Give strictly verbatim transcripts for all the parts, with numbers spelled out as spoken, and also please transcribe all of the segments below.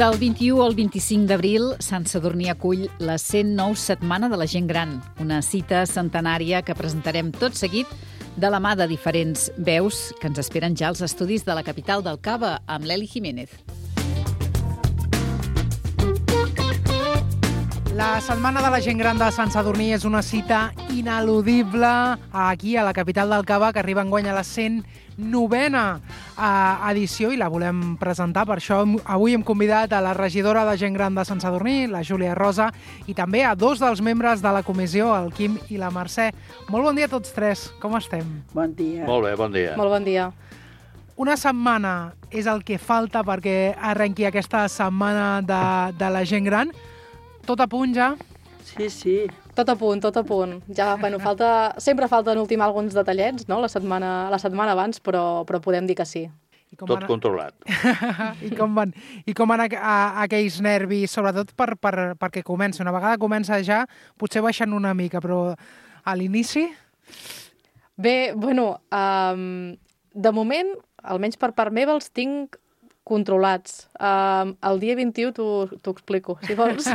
Del vint-i-u al vint-i-cinc d'abril, Sant Sadurní acull la cent nou Setmana de la Gent Gran, una cita centenària que presentarem tot seguit de la mà de diferents veus que ens esperen ja als estudis de la capital del Cava, amb l'Eli Jiménez. La Setmana de la Gent Gran de Sant Sadurní és una cita ineludible aquí, a la capital del Cava, que arriba enguany a la cent novena edició i la volem presentar. Per això avui hem convidat a la regidora de Gent Gran de Sant Sadurní, la Júlia Rosa, i també a dos dels membres de la comissió, el Quim i la Mercè. Molt bon dia a tots tres. Com estem? Bon dia. Molt bé, bon dia. Molt bon dia. Una setmana és el que falta perquè arrenqui aquesta setmana de, de la gent gran. Tot a punt ja? Sí, sí. Tot a punt, tot a punt. Ja, bueno, falta, sempre falten ultimar alguns detallets, no?, la setmana, la setmana abans, però, però podem dir que sí. I com Tot van... controlat. I com van, i com van a, a, aquells nervis, sobretot per, per, perquè comença. Una vegada comença ja, potser baixen una mica, però a l'inici... Bé, bueno, um, de moment, almenys per part meva, els tinc controlats. Um, el dia vint-i-u t'ho explico, si vols.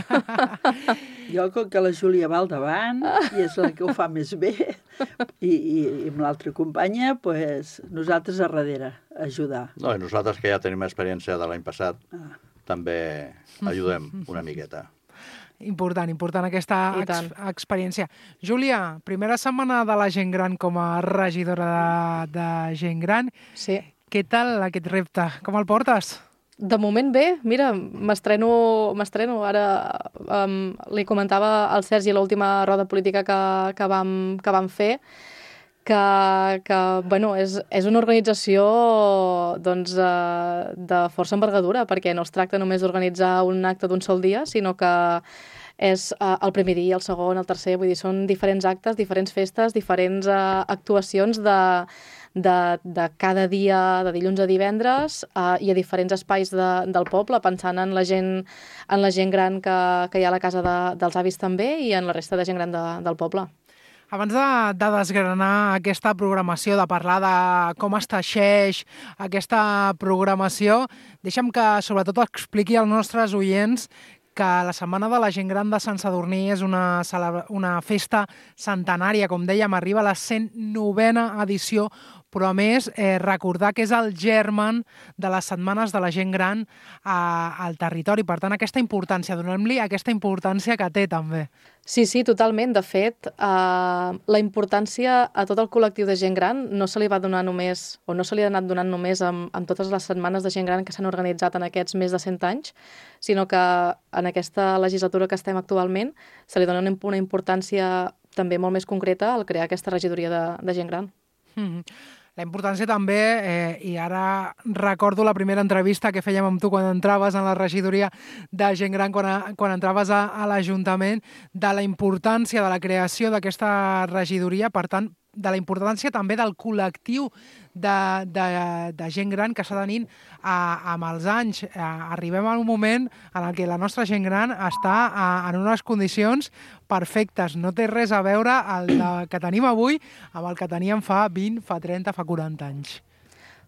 Jo, com que la Júlia va al davant, i és la que ho fa més bé, i, i, i amb l'altra companya, pues, nosaltres a darrere, a ajudar. No, i nosaltres, que ja tenim experiència de l'any passat, Ah. també ajudem una miqueta. Important, important aquesta I ex tant. experiència. Júlia, primera setmana de la gent gran com a regidora de, de gent gran. Sí. Què tal aquest repte? Com el portes? De moment bé, mira, m'estreno, m'estreno. Ara um, li comentava al Sergi l'última roda política que, que, vam, que vam fer, que, que bueno, és, és una organització doncs, uh, de força envergadura, perquè no es tracta només d'organitzar un acte d'un sol dia, sinó que és uh, el primer dia, el segon, el tercer, vull dir, són diferents actes, diferents festes, diferents uh, actuacions de, de, de cada dia, de dilluns a divendres, uh, i a diferents espais de, del poble, pensant en la gent, en la gent gran que, que hi ha a la casa de, dels avis també i en la resta de gent gran de, del poble. Abans de, de desgranar aquesta programació, de parlar de com es teixeix aquesta programació, deixa'm que sobretot expliqui als nostres oients que la Setmana de la Gent Gran de Sant Sadurní és una, una festa centenària, com dèiem, arriba a la cent novena edició, però a més eh, recordar que és el germen de les setmanes de la gent gran a, al territori. Per tant, aquesta importància, donem-li aquesta importància que té també. Sí, sí, totalment. De fet, eh, la importància a tot el col·lectiu de gent gran no se li va donar només, o no se li ha anat donant només amb, amb totes les setmanes de gent gran que s'han organitzat en aquests més de cent anys, sinó que en aquesta legislatura que estem actualment se li dona una importància també molt més concreta al crear aquesta regidoria de, de gent gran. Mm-hmm. La importància també, eh, i ara recordo la primera entrevista que fèiem amb tu quan entraves en la regidoria de gent gran, quan, a, quan entraves a, a l'Ajuntament, de la importància de la creació d'aquesta regidoria, per tant, de la importància també del col·lectiu de, de, de gent gran que s'ha tenint a, amb els anys. A, arribem a un moment en el que la nostra gent gran està a, en unes condicions perfectes. No té res a veure el de, que tenim avui amb el que teníem fa vint, fa trenta, fa quaranta anys.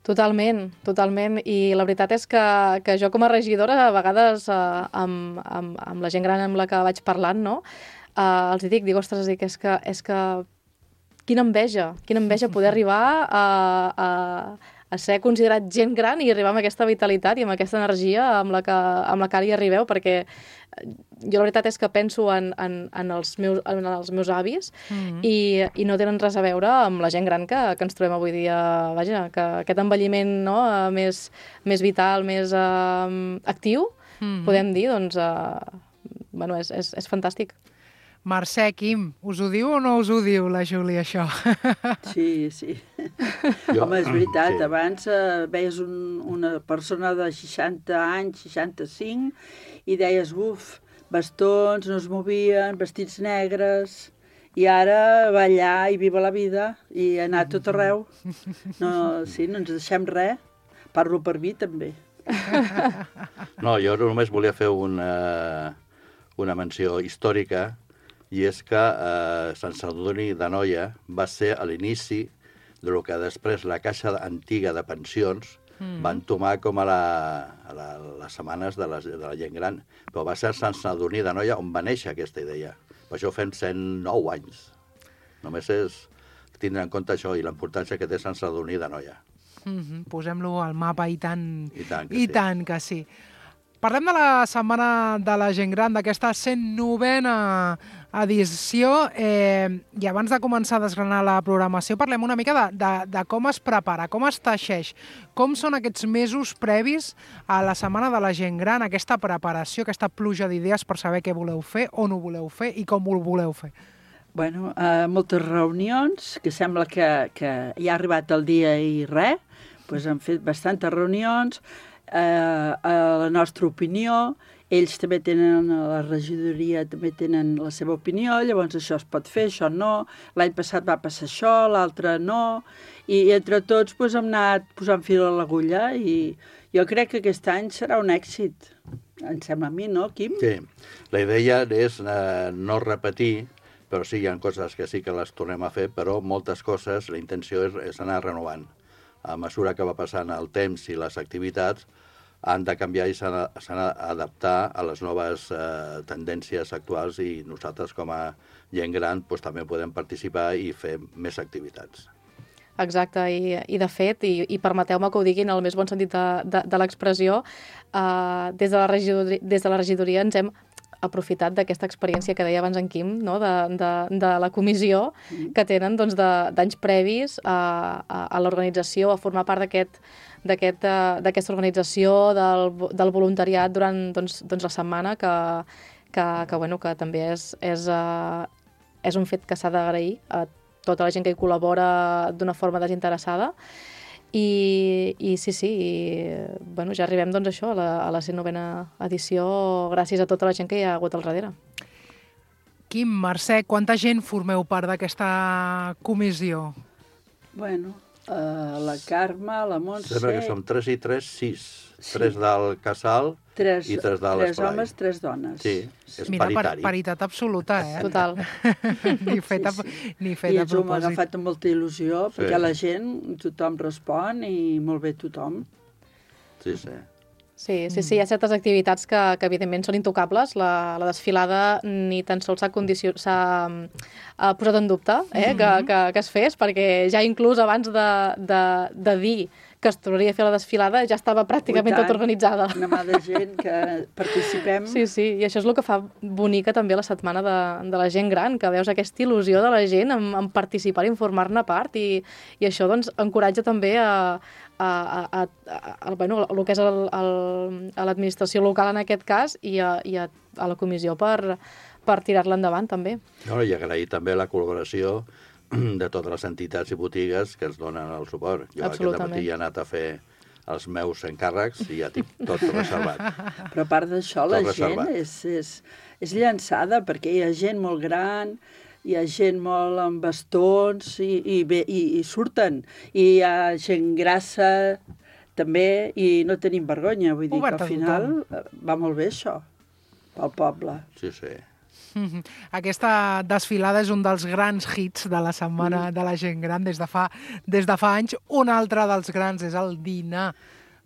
Totalment, totalment. I la veritat és que, que jo com a regidora, a vegades eh, amb, amb, amb la gent gran amb la que vaig parlant, no? eh, els hi dic, dic, ostres, dic, és que, és que quina enveja, quina enveja poder arribar a, a, a ser considerat gent gran i arribar amb aquesta vitalitat i amb aquesta energia amb la que, amb la que ara hi arribeu, perquè jo la veritat és que penso en, en, en, els, meus, en els meus avis mm-hmm. i, i no tenen res a veure amb la gent gran que, que ens trobem avui dia, vaja, que aquest envelliment, no, més, més vital, més uh, actiu, mm-hmm. podem dir, doncs, uh, bueno, és, és, és fantàstic. Mercè, Quim, us ho diu o no us ho diu la Júlia, això? Sí, sí. Jo, Home, és veritat, sí. abans eh, veies un, una persona de seixanta anys, seixanta-cinc, i deies, uf, bastons, no es movien, vestits negres, i ara va allà i viva la vida, i anar a tot arreu. No, sí, no ens deixem res. Parlo per mi, també. No, jo només volia fer una, una menció històrica, i és que eh, Sant Sadurní d'Anoia va ser a l'inici de lo que després la Caixa Antiga de Pensions Mm. Va entomar com a, la, a la, les setmanes de, les, de la gent gran. Però va ser a Sant Sadurní d'Anoia on va néixer aquesta idea. Per això fem cent nou anys. Només és tindre en compte això i la importància que té Sant Sadurní d'Anoia. Mm-hmm. Posem-lo al mapa i tant, I tant que i sí. tant que sí. Parlem de la Setmana de la Gent Gran, d'aquesta cent novena edició, eh, i abans de començar a desgranar la programació parlem una mica de, de, de com es prepara, com es teixeix, com són aquests mesos previs a la Setmana de la Gent Gran, aquesta preparació, aquesta pluja d'idees per saber què voleu fer, on ho voleu fer i com ho voleu fer. Bueno, eh, moltes reunions, que sembla que, que ja ha arribat el dia i res, doncs hem fet bastantes reunions, eh, a la nostra opinió, ells també tenen, la regidoria també tenen la seva opinió, llavors això es pot fer, això no, l'any passat va passar això, l'altre no, i, i entre tots doncs, hem anat posant fil a l'agulla i jo crec que aquest any serà un èxit, em sembla a mi, no, Quim? Sí, la idea és eh, no repetir, però sí, hi ha coses que sí que les tornem a fer, però moltes coses, la intenció és, és anar renovant. A mesura que va passant el temps i les activitats, han de canviar i s'han d'adaptar a les noves eh, tendències actuals i nosaltres com a gent gran doncs, també podem participar i fer més activitats. Exacte, i, i de fet, i, i permeteu-me que ho digui en el més bon sentit de, de, de l'expressió, eh, des, de la regidoria, des de la regidoria ens hem aprofitat d'aquesta experiència que deia abans en Quim, no? de, de, de la comissió que tenen doncs, d'anys previs a, a, a l'organització, a formar part d'aquest d'aquesta aquest, organització, del, del voluntariat durant doncs, doncs la setmana, que, que, que, bueno, que també és, és, uh, és un fet que s'ha d'agrair a tota la gent que hi col·labora d'una forma desinteressada. I, i sí, sí, i, bueno, ja arribem doncs, això, a la, a la cent novena edició gràcies a tota la gent que hi ha hagut al darrere. Quim, Mercè, quanta gent formeu part d'aquesta comissió? Bueno, uh, la Carme, la Montse... Sembla que som tres i tres, sis. Sí. Tres del casal tres, i tres de tres l'esplai. homes, tres dones. Sí, és Mira, paritari. Mira, paritat absoluta, eh? Total. ni fet a, sí, sí. ni fet I a ens ho hem propòsit. agafat amb molta il·lusió, Sí. perquè la gent, tothom respon i molt bé tothom. Sí, sí. Sí, sí, sí, hi ha certes activitats que, que evidentment són intocables. La, la desfilada ni tan sols s'ha condicio... uh, posat en dubte eh, que, que, que es fes, perquè ja inclús abans de, de, de dir que es tornaria a fer la desfilada ja estava pràcticament tot organitzada. Una mà de gent que participem. Sí, sí, i això és el que fa bonica també la setmana de, de la gent gran, que veus aquesta il·lusió de la gent en, en participar i en formar-ne part, i, i això doncs encoratja també a, a, a, a, a, bueno, el que és el, el, a l'administració local en aquest cas i a, i a, a la comissió per, per tirar-la endavant també. No, i agrair també la col·laboració de totes les entitats i botigues que ens donen el suport. Jo aquest matí he anat a fer els meus encàrrecs i ja tinc tot reservat. Però a part d'això, la gent és, és, és llançada, perquè hi ha gent molt gran, hi ha gent molt amb bastons i, i, bé, i, i surten. I hi ha gent grassa també i no tenim vergonya. Vull dir Obert que al final va molt bé això, pel poble. Sí, sí. Aquesta desfilada és un dels grans hits de la Setmana de la Gent Gran des de fa, des de fa anys. Un altre dels grans és el dinar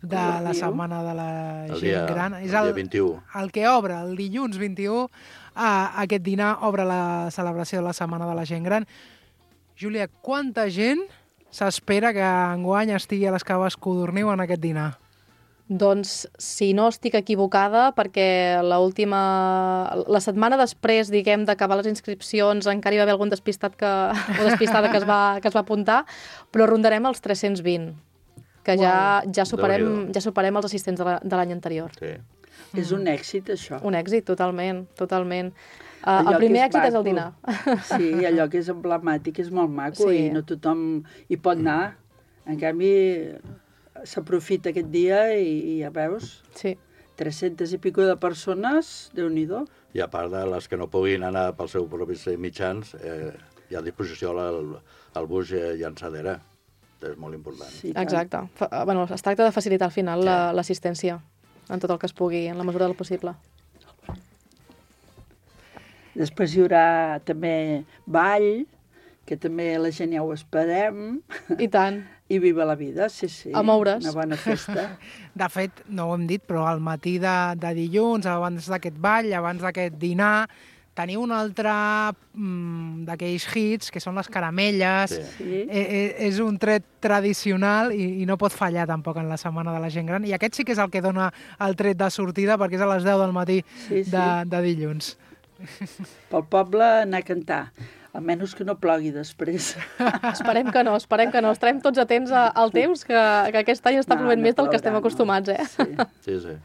de la Setmana de la Gent dia, Gran. És el el, dia vint-i-u. El que obre, el dilluns vint-i-u, eh, aquest dinar obre la celebració de la Setmana de la Gent Gran. Júlia, quanta gent s'espera que enguany estigui a les Caves Codorniu en aquest dinar? Doncs, si no estic equivocada, perquè l'última... La setmana després, diguem, d'acabar les inscripcions, encara hi va haver algun despistat que, o despistada que es, va, que es va apuntar, però rondarem els tres-cents vint, que ja, ja, superem, ja superem els assistents de l'any anterior. Sí. És un èxit, això. Un èxit, totalment, totalment. Uh, el primer és èxit maco. És el dinar. Sí, allò que és emblemàtic és molt maco, sí. I no tothom hi pot anar. En canvi, s'aprofita aquest dia i, i ja veus, sí. tres-centes i pico de persones, Déu-n'hi-do. I a part de les que no puguin anar pels seus propis mitjans, eh, hi ha a disposició el, el bus llançadera. És molt important. Sí, exacte. Fa, bueno, es tracta de facilitar al final sí. l'assistència en tot el que es pugui, en la mesura del possible. Després hi haurà també ball, que també la gent ja ho esperem. I tant. I viva la vida, sí, sí. A moure's. Una bona festa. De fet, no ho hem dit, però al matí de, de dilluns, abans d'aquest ball, abans d'aquest dinar, teniu un altre mm, d'aquells hits, que són les caramelles. Sí. Sí. Eh, eh, és un tret tradicional i, i no pot fallar tampoc en la Setmana de la Gent Gran. I aquest sí que és el que dona el tret de sortida, perquè és a les deu del matí Sí, sí. de, de dilluns. Pel poble anar a cantar. Almenys que no plogui després. Esperem que no, esperem que no. Estarem tots atents a- al temps, que, que aquest any està No, plovent no més del que plourà, estem no. acostumats, eh? Sí. Sí, sí.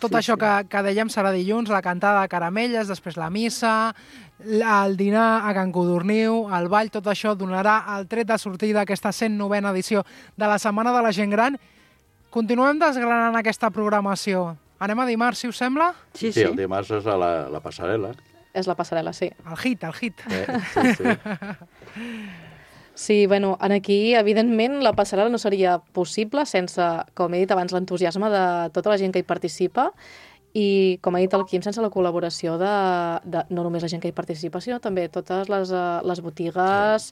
Tot Sí, això sí. que, que dèiem serà dilluns, la cantada de caramelles, després la missa, el dinar a Can Codorniu, el ball, tot això donarà el tret de sortida d'aquesta cent novena edició de la Setmana de la Gent Gran. Continuem desgranant aquesta programació. Anem a dimarts, si us sembla? Sí, Sí, sí. el dimarts és a la, la passarel·la. És la passarel·la, sí. El hit, el hit. Eh? Sí, sí. Sí, bueno, en aquí, evidentment, la passarel·la no seria possible sense, com he dit abans, l'entusiasme de tota la gent que hi participa i, com ha dit el Quim, sense la col·laboració de, de no només la gent que hi participa, sinó també totes les, uh, les botigues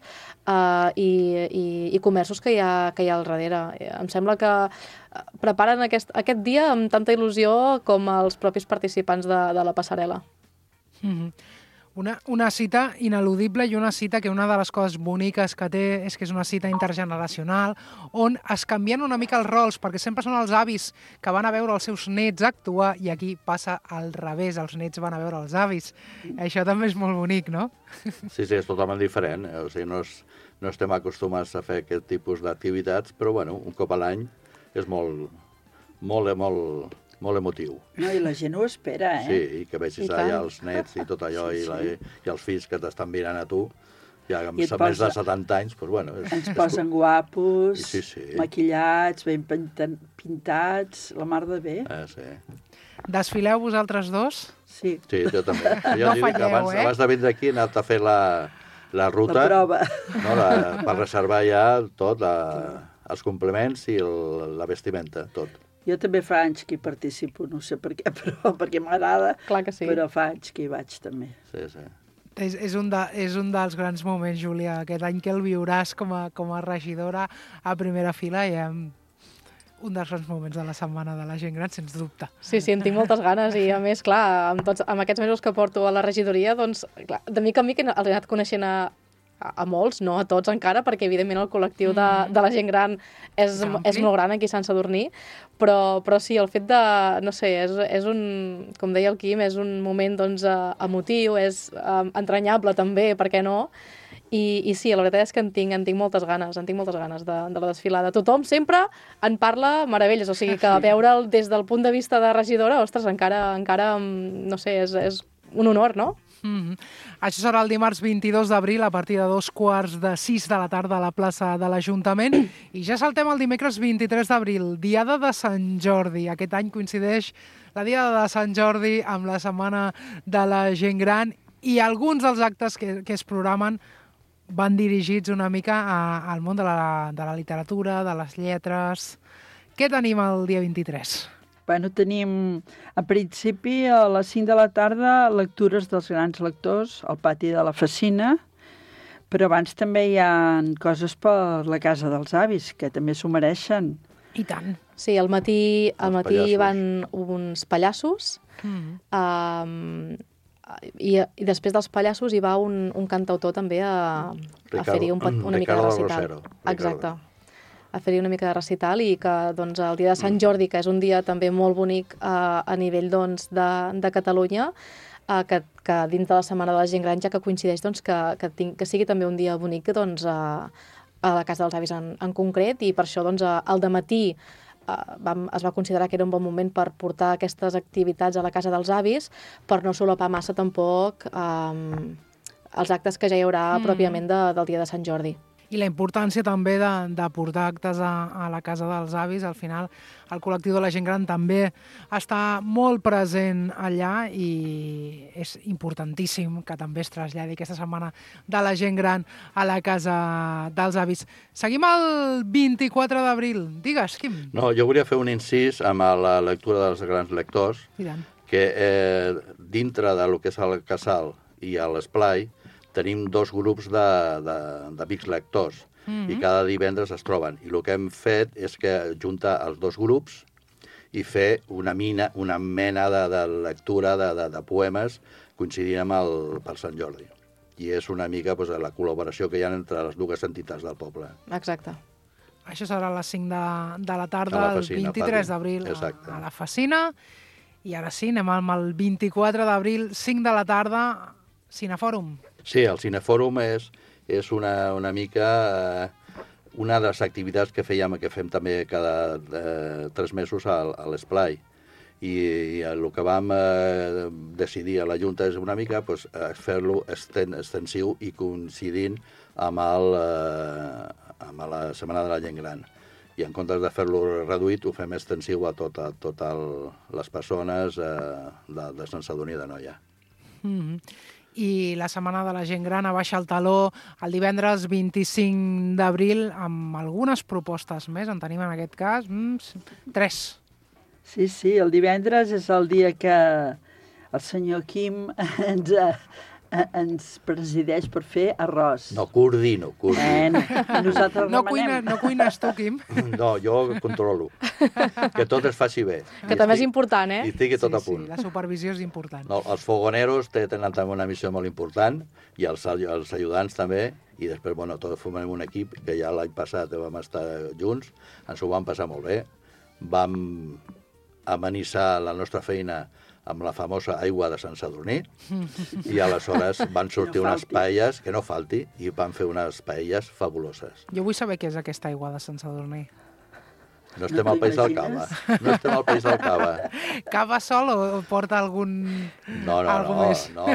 uh, i, i, i comerços que hi, ha, que hi ha al darrere. Em sembla que preparen aquest, aquest dia amb tanta il·lusió com els propis participants de, de la passarel·la. Mm-hmm. Una, una cita ineludible i una cita que una de les coses boniques que té és que és una cita intergeneracional on es canvien una mica els rols, perquè sempre són els avis que van a veure els seus nets actuar i aquí passa al revés, els nets van a veure els avis. Això també és molt bonic, no? Sí, sí, és totalment diferent. O sigui, no, és, no estem acostumats a fer aquest tipus d'activitats, però bueno, un cop a l'any és molt, molt, molt, molt emotiu. No, i la gent ho espera, eh? Sí, i que vegis I allà tant. els nets i tot allò, Sí, i, la, sí. i els fills que t'estan mirant a tu, ja amb I et més de posa- setanta anys, doncs bueno... És, Ens posen guapos, Sí, sí. maquillats, ben pinta- pintats, la mar de bé. Eh, sí. Desfileu vosaltres dos? Sí, Sí, jo també. Jo No dic que falleu, abans, eh? abans de vindre aquí he anat a fer la, la ruta, la prova. no, la, per reservar ja tot, la, els complements i el, la vestimenta, tot. Jo també fa anys que hi participo, no sé per què, però perquè m'agrada, Clar que sí. però fa anys que hi vaig també. Sí, sí. És, és, un de, és un dels grans moments, Júlia, aquest any que el viuràs com a, com a regidora a primera fila i hem un dels grans moments de la Setmana de la Gent Gran, sens dubte. Sí, sí, en tinc moltes ganes i, a més, clar, amb, tots, amb aquests mesos que porto a la regidoria, doncs, clar, de mica en mica he anat coneixent a, a, a molts, no a tots encara, perquè, evidentment, el col·lectiu de, de la gent gran és, És ampli. és molt gran aquí a Sant Sadurní, però, però sí, el fet de, no sé, és, és un, com deia el Quim, és un moment, doncs, eh, emotiu, és eh, entranyable també, per què no? I, I sí, la veritat és que en tinc, en tinc moltes ganes, en tinc moltes ganes de, de la desfilada. Tothom sempre en parla meravelles, o sigui que veure'l des del punt de vista de regidora, ostres, encara, encara no sé, és, és un honor, no? Mm-hmm. Això serà el dimarts vint-i-dos d'abril a partir de dos quarts de sis de la tarda a la plaça de l'Ajuntament i ja saltem el dimecres vint-i-tres d'abril, Diada de Sant Jordi. Aquest any coincideix la Diada de Sant Jordi amb la Setmana de la Gent Gran i alguns dels actes que, que es programen van dirigits una mica a, al món de la, de la literatura, de les lletres. Què tenim el dia vint-i-tres? Bueno, tenim, en principi, a les cinc de la tarda, lectures dels grans lectors al pati de la Facina, però abans també hi ha coses per la Casa dels Avis, que també s'ho mereixen. I tant. Sí, al matí, al Els matí pallassos. van uns pallassos, Mm. um, i, i després dels pallassos hi va un, un cantautor també a, a Ricardo- fer-hi un, pet- una mica de Ricardo recital. Rosero, Ricardo. Exacte. A fer-hi una mica de recital i que doncs, el dia de Sant Jordi, que és un dia també molt bonic uh, a nivell doncs, de, de Catalunya, uh, que, que dins de la Setmana de la Gent Gran, ja que coincideix doncs, que, que, tinc, que sigui també un dia bonic doncs, a, a la Casa dels Avis en, en concret, i per això doncs, al dematí Uh, vam, es va considerar que era un bon moment per portar aquestes activitats a la Casa dels Avis, per no solapar massa tampoc um, els actes que ja hi haurà mm. pròpiament de, del dia de Sant Jordi. I la importància també de, de portar actes a, a la Casa dels Avis. Al final, el col·lectiu de la gent gran també està molt present allà i és importantíssim que també es traslladi aquesta setmana de la gent gran a la Casa dels Avis. Seguim el vint-i-quatre d'abril. Digues, Quim. No, jo volia fer un incís amb la lectura dels grans lectors, I tant. que eh, dintre de lo que és el casal i a l'esplai tenim dos grups de, de, d'amics lectors. Mm-hmm. I cada divendres es troben. I el que hem fet és que juntar els dos grups i fer una, mina, una mena de, de lectura de, de, de poemes coincidint amb el, per Sant Jordi. I és una mica doncs, la col·laboració que hi ha entre les dues entitats del poble. Exacte. Això serà a les cinc de, de la tarda, la el Facina, vint-i-tres d'abril, a, a la Facina. I ara sí, anem amb el vint-i-quatre d'abril, cinc de la tarda, Cinefòrum. Sí, el Cinefòrum és, és una, una mica eh, una de les activitats que fèiem, que fem també cada eh, tres mesos a, a l'Esplai. I, i el que vam eh, decidir a la Junta és una mica pues, fer-lo esten, extensiu i coincidint amb, el, eh, amb la Setmana de la Gent Gran. I en comptes de fer-lo reduït, ho fem extensiu a totes tot les persones eh, de, de Sant Sadurní d'Anoia. Mm-hmm. I la Setmana de la Gent Gran abaixa el taló el divendres vint-i-cinc d'abril amb algunes propostes més. En tenim en aquest cas mm, tres. Sí, sí, el divendres és el dia que el senyor Quim ens, ens presideix per fer arròs. No, coordino, coordino. Eh, nosaltres no, cuina, no cuines tu, Quim? No, jo controlo. Que tot es faci bé. Que també és important, eh? I estigui tot sí, a punt. Sí, la supervisió és important. No, els fogoneros tenen també una missió molt important, i els, els ajudants també, i després, bueno, tot formem un equip que ja l'any passat vam estar junts, ens ho vam passar molt bé, vam amenitzar la nostra feina amb la famosa aigua de Sant Sadurní, i aleshores van sortir no unes paelles, que no falti, i van fer unes paelles fabuloses. Jo vull saber què és aquesta aigua de Sant Sadurní. No estem no al País del Cava. No estem al País del Cava. Cava sol o porta algun... No, no, algun no, més? no.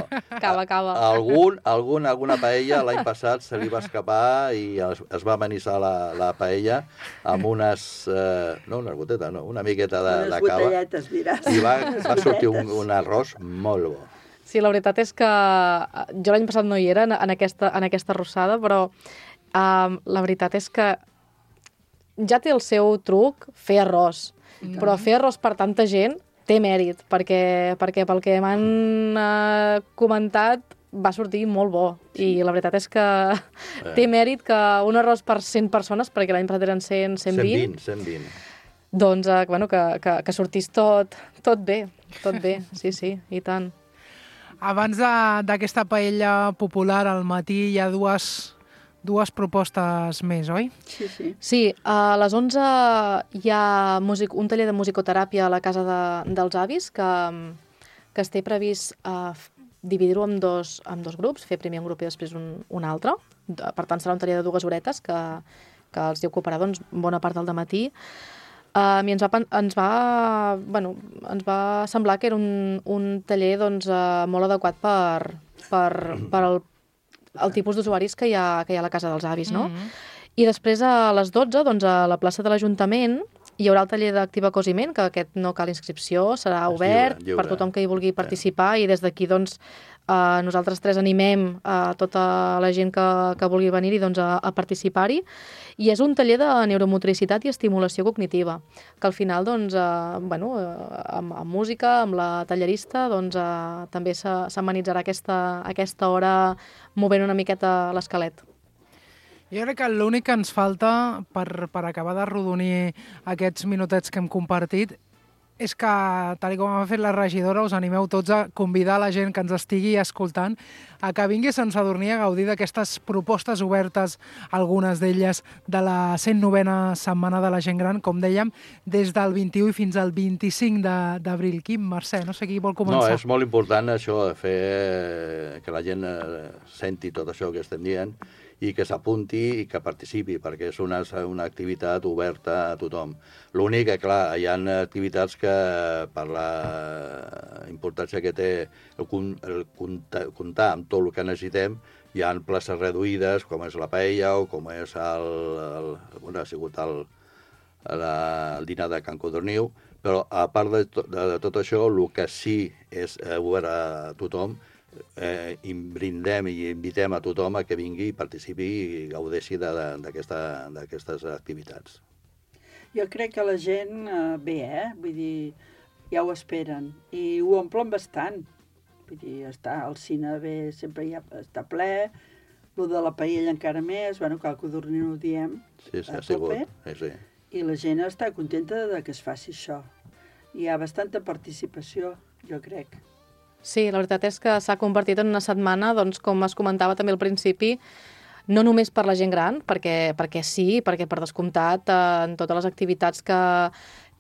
Cava, cava. Algun, algun, alguna paella l'any passat se li va escapar i es, es va amenitzar la, la paella amb unes... Eh, no, unes gotetes, no, una miqueta de, de cava. Unes botelletes, diràs. I va, va sortir un, un arròs molt bo. Sí, la veritat és que jo l'any passat no hi era en aquesta, en aquesta arrossada, però um, la veritat és que ja té el seu truc fer arròs, mm. però fer arròs per tanta gent té mèrit, perquè, perquè pel que m'han uh, comentat va sortir molt bo. I la veritat és que eh. té mèrit que un arròs per cent persones, perquè l'any passat eren cent, cent vint, cent vint. Doncs uh, bueno, que, que, que sortís tot, tot bé, tot bé, sí, sí, i tant. Abans d'aquesta paella popular al matí hi ha dues... dues propostes més, oi? Sí, sí. Sí, a les onze hi ha music, un taller de musicoteràpia a la casa de, dels avis que, que es té previst uh, dividir-ho en dos, en dos grups, fer primer un grup i després un, un altre. Per tant, serà un taller de dues horetes que, que els ocuparà doncs, bona part del dematí. Uh, I ens va, ens, va, bueno, ens va semblar que era un, un taller doncs, uh, molt adequat per, per, per el el tipus d'usuaris que, hi ha, que hi ha a la casa dels avis, no? Mm-hmm. I després a les dotze, doncs, a la plaça de l'Ajuntament, hi haurà el taller d'activa cosiment, que aquest no cal inscripció, serà és obert lliure, lliure. Per tothom que hi vulgui participar, sí. I des d'aquí, doncs, eh, nosaltres tres animem a tota la gent que, que vulgui venir-hi doncs, a, a participar-hi. I és un taller de neuromotricitat i estimulació cognitiva, que al final, doncs, eh, bueno, amb, amb música, amb la tallerista, doncs, eh, també s'amenitzarà aquesta, aquesta hora movent una miqueta l'esquelet. Jo crec que l'únic que ens falta per, per acabar de rodonir aquests minutets que hem compartit és que, tal com ha fet la regidora, us animeu tots a convidar la gent que ens estigui escoltant a que vingui a Sant Sadurní a gaudir d'aquestes propostes obertes, algunes d'elles de la cent novena Setmana de la Gent Gran, com dèiem, des del vint-i-u fins al vint-i-cinc d'abril. Quim, Mercè, no sé qui vol començar. No, és molt important això de fer que la gent senti tot això que estem dient i que s'apunti i que participi, perquè és una, una activitat oberta a tothom. L'únic que, clar, hi ha activitats que, per la importància que té el, el comptar amb tot el que necessitem, hi ha places reduïdes, com és la paella o com és el, el, bueno, ha sigut el, la, el dinar de Can Codorniu, però a part de, to, de, de tot això, el que sí és obert a tothom, Eh, i brindem i invitem a tothom a que vingui i participi i gaudeixi d'aquestes activitats. Jo crec que la gent eh, ve, eh? Vull dir, ja ho esperen i ho omplen bastant. Vull dir, està, el cine ve, sempre ja està ple, lo de la paella encara més, bueno, cal codorniu ho diem Sí, sí, a ha sigut. tope, Sí, sí. i la gent està contenta de que es faci això. Hi ha bastanta participació, jo crec. Sí, la veritat és que s'ha convertit en una setmana, doncs, com es comentava també al principi, no només per la gent gran, perquè, perquè sí, perquè per descomptat eh, en totes les activitats que,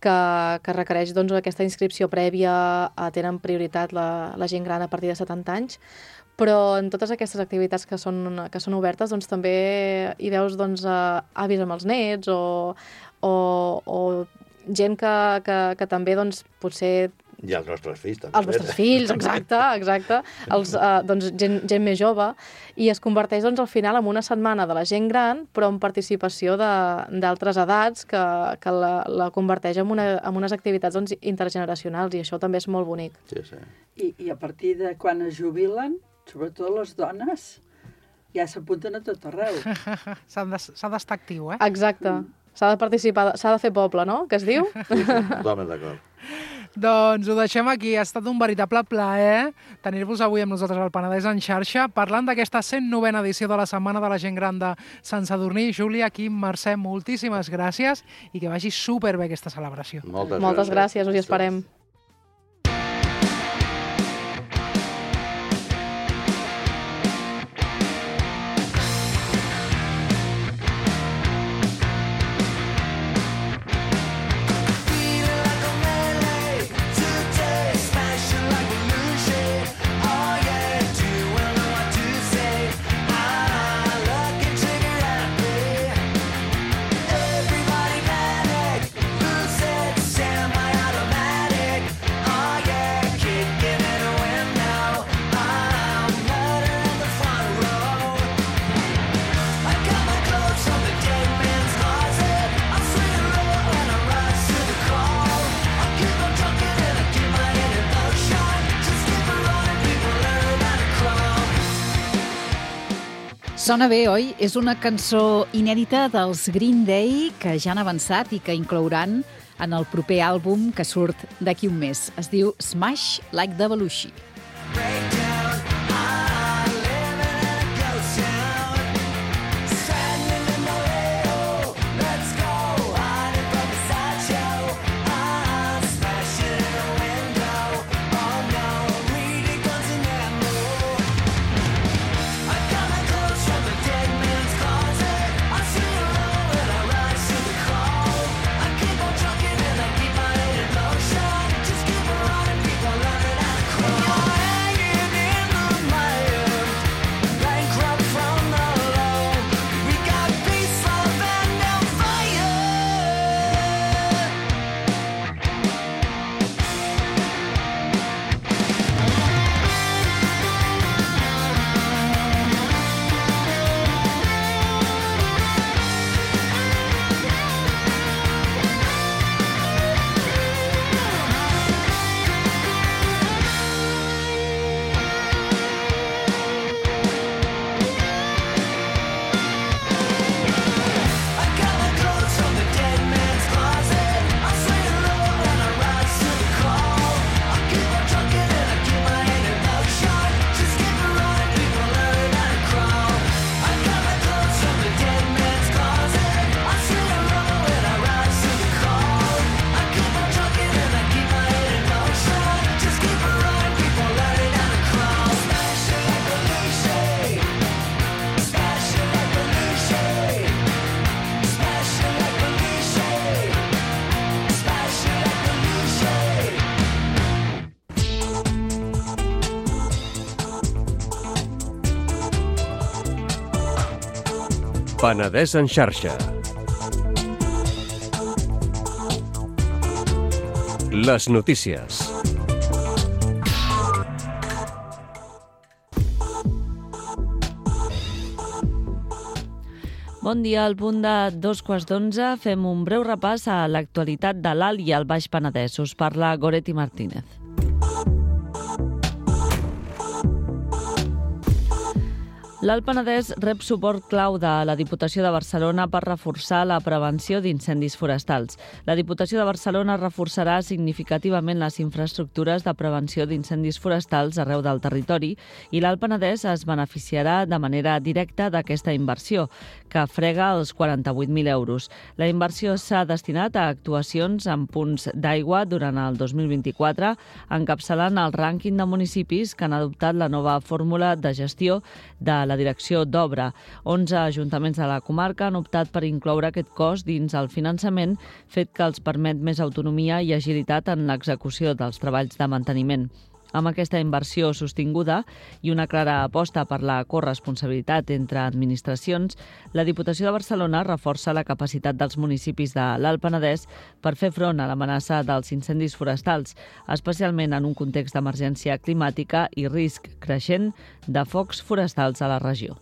que, que requereix doncs, aquesta inscripció prèvia eh, tenen prioritat la, la gent gran a partir de setanta anys, però en totes aquestes activitats que són, que són obertes doncs, també hi veus doncs, eh, avis amb els nets o, o, o gent que, que, que també doncs, potser... I els nostres fills, també. Els vostres fills, exacte, exacte. Els, eh, doncs, gent, gent més jove. I es converteix doncs, al final en una setmana de la gent gran, però amb participació d'altres edats que, que la, la converteix en, una, en unes activitats doncs, intergeneracionals, i això també és molt bonic. Sí, sí. I, I a partir de quan es jubilen, sobretot les dones, ja s'apunten a tot arreu. S'ha d'estar actiu, eh? Exacte. S'ha de participar, s'ha de fer poble, no?, que es diu? Sí, sí, totalment d'acord. Doncs ho deixem aquí. Ha estat un veritable plaer tenir-vos avui amb nosaltres al Penedès en xarxa, parlant d'aquesta cent novena edició de la Setmana de la Gent Gran de Sant Sadurní. Júlia, Quim, Mercè, moltíssimes gràcies i que vagi superbé aquesta celebració. Moltes, Moltes gràcies, gràcies us hi esperem. Sona bé, oi? És una cançó inèdita dels Green Day que ja han avançat i que inclouran en el proper àlbum que surt d'aquí un mes. Es diu Smash Like the Belushi. Penedès en xarxa. Les notícies. Bon dia, al punt de dos quarts d'onze fem un breu repàs a l'actualitat de l'Alt i el Baix Penedès. Us parla Goretti Martínez. L'Alt Penedès rep suport clau de la Diputació de Barcelona per reforçar la prevenció d'incendis forestals. La Diputació de Barcelona reforçarà significativament les infraestructures de prevenció d'incendis forestals arreu del territori i l'Alt Penedès es beneficiarà de manera directa d'aquesta inversió, que frega els quaranta-vuit mil euros. La inversió s'ha destinat a actuacions en punts d'aigua durant el dos mil vint-i-quatre, encapçalant el rànquing de municipis que han adoptat la nova fórmula de gestió de la direcció d'obra. onze ajuntaments de la comarca han optat per incloure aquest cost dins el finançament, fet que els permet més autonomia i agilitat en l'execució dels treballs de manteniment. Amb aquesta inversió sostinguda i una clara aposta per la corresponsabilitat entre administracions, la Diputació de Barcelona reforça la capacitat dels municipis de l'Alt Penedès per fer front a l'amenaça dels incendis forestals, especialment en un context d'emergència climàtica i risc creixent de focs forestals a la regió.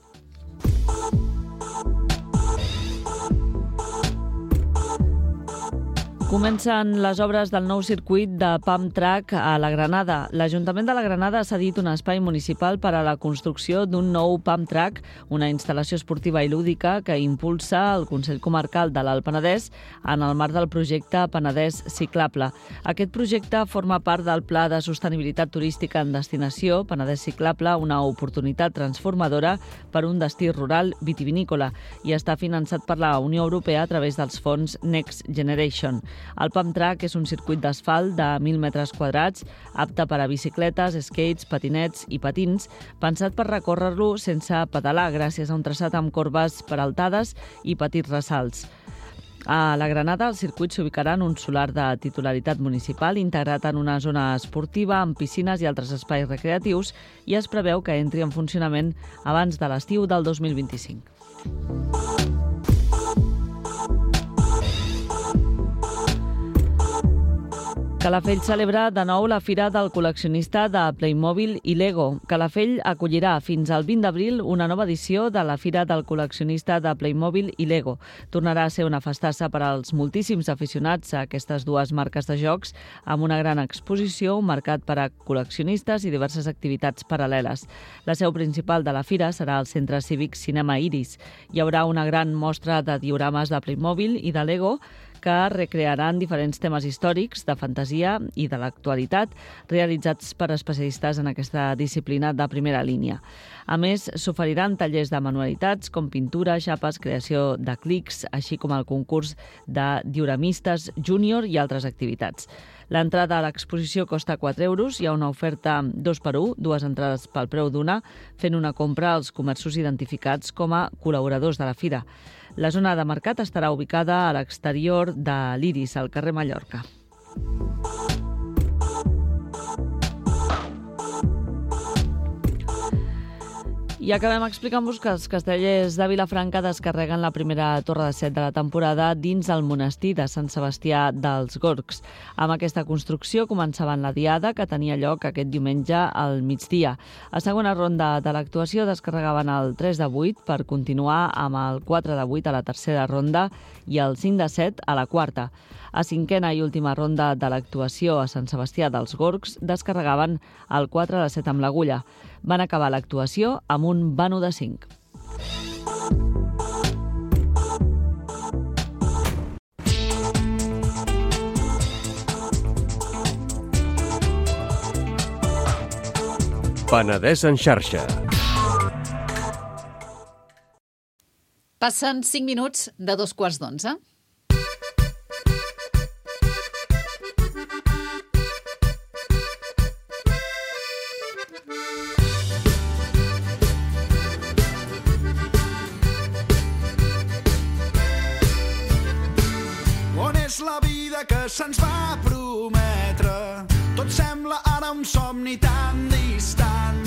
Comencen les obres del nou circuit de Pump Track a la Granada. L'Ajuntament de la Granada ha cedit un espai municipal per a la construcció d'un nou Pump Track, una instal·lació esportiva i lúdica que impulsa el Consell Comarcal de l'Alt Penedès en el marc del projecte Penedès Ciclable. Aquest projecte forma part del Pla de Sostenibilitat Turística en Destinació Penedès Ciclable, una oportunitat transformadora per un destí rural vitivinícola, i està finançat per la Unió Europea a través dels fons Next Generation. El Pump Track és un circuit d'asfalt de mil metres quadrats, apte per a bicicletes, skates, patinets i patins, pensat per recórrer-lo sense pedalar, gràcies a un traçat amb corbes peraltades i petits ressalts. A la Granada, el circuit s'ubicarà en un solar de titularitat municipal integrat en una zona esportiva amb piscines i altres espais recreatius i es preveu que entri en funcionament abans de l'estiu del dos mil vint-i-cinc. Calafell celebra de nou la Fira del Col·leccionista de Playmobil i Lego. Calafell acollirà fins al vint d'abril una nova edició de la Fira del Col·leccionista de Playmobil i Lego. Tornarà a ser una festassa per als moltíssims aficionats a aquestes dues marques de jocs, amb una gran exposició, un mercat per a col·leccionistes i diverses activitats paral·leles. La seu principal de la fira serà el Centre Cívic Cinema Iris. Hi haurà una gran mostra de diorames de Playmobil i de Lego que recrearan diferents temes històrics, de fantasia i de l'actualitat, realitzats per especialistes en aquesta disciplina de primera línia. A més, s'oferiran tallers de manualitats com pintura, xapes, creació de clics, així com el concurs de dioramistes júnior i altres activitats. L'entrada a l'exposició costa quatre euros, hi ha una oferta dos per un, dues entrades pel preu d'una, fent una compra als comerços identificats com a col·laboradors de la fira. La zona de mercat estarà ubicada a l'exterior de l'Iris, al carrer Mallorca. I acabem explicant-vos que els castellers de Vilafranca descarreguen la primera torre de set de la temporada dins el monestir de Sant Sebastià dels Gorgs. Amb aquesta construcció començaven la diada, que tenia lloc aquest diumenge al migdia. A segona ronda de l'actuació descarregaven el tres de vuit per continuar amb el quatre de vuit a la tercera ronda i el cinc de set a la quarta. A cinquena i última ronda de l'actuació a Sant Sebastià dels Gorgs descarregaven el quatre de set amb l'agulla. Van acabar l'actuació amb un vano de cinc. Penedès en xarxa. Passen cinc minuts de dos quarts d'onze. La vida que se'ns va prometre, tot sembla ara un somni tan distant.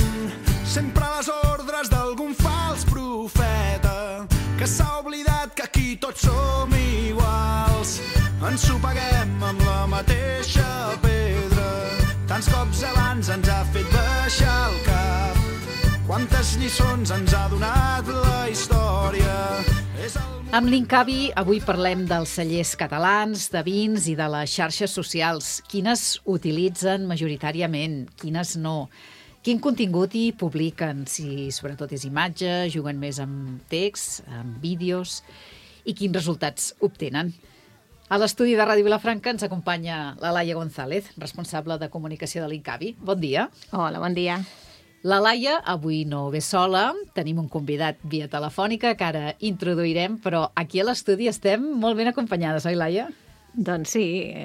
Sempre a les ordres d'algun fals profeta que s'ha oblidat que aquí tots som iguals. Ens ho paguem amb la mateixa pedra, tants cops abans ens ha fet baixar el cap. Quantes lliçons ens ha donat la història. És el Amb l'Incavi avui parlem dels cellers catalans, de vins i de les xarxes socials. Quines utilitzen majoritàriament, quines no? Quin contingut hi publiquen? Si sobretot és imatge, juguen més amb text, amb vídeos, i quins resultats obtenen? A l'estudi de Ràdio Vilafranca ens acompanya la Laia González, responsable de comunicació de l'Incavi. Bon dia. Hola, bon dia. La Laia avui no ve sola, tenim un convidat via telefònica que ara introduirem, però aquí a l'estudi estem molt ben acompanyades, oi, Laia? Doncs sí,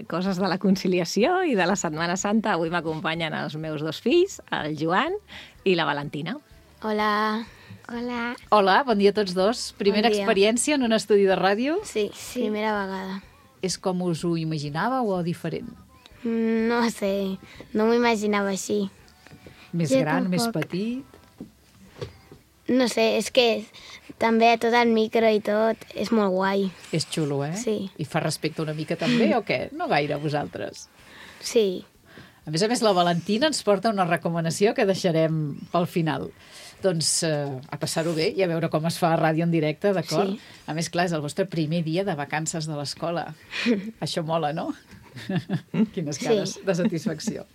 coses de la conciliació i de la Setmana Santa. Avui m'acompanyen els meus dos fills, el Joan i la Valentina. Hola. Hola. Hola, bon dia a tots dos. Primera Bon dia. experiència en un estudi de ràdio? Sí, sí, primera vegada. És com us ho imaginàveu o diferent? Mm, No sé, no m'ho imaginava així. Més Jo gran, més tampoc. petit? No sé, és que també tot el micro i tot és molt guai. És xulo, eh? Sí. I fa respecte una mica també, o què? No gaire, vosaltres? Sí. A més a més, la Valentina ens porta una recomanació que deixarem pel final. Doncs eh, a passar-ho bé i a veure com es fa a ràdio en directe, d'acord? Sí. A més, clar, és el vostre primer dia de vacances de l'escola. Això mola, no? Quines cares Sí. de satisfacció.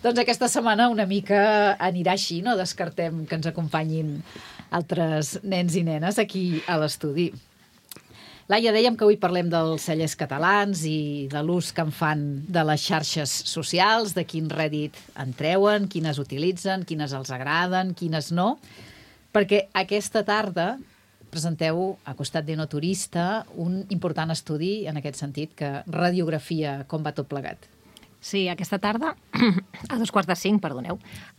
Doncs aquesta setmana una mica anirà així, no descartem que ens acompanyin altres nens i nenes aquí a l'estudi. Laia, dèiem que avui parlem dels cellers catalans i de l'ús que en fan de les xarxes socials, de quin rèdit en treuen, quines utilitzen, quines els agraden, quines no, perquè aquesta tarda presenteu, a costat d'Enoturista, un important estudi en aquest sentit que radiografia com va tot plegat. Sí, aquesta tarda, a dos quarts de cinc, perdoneu,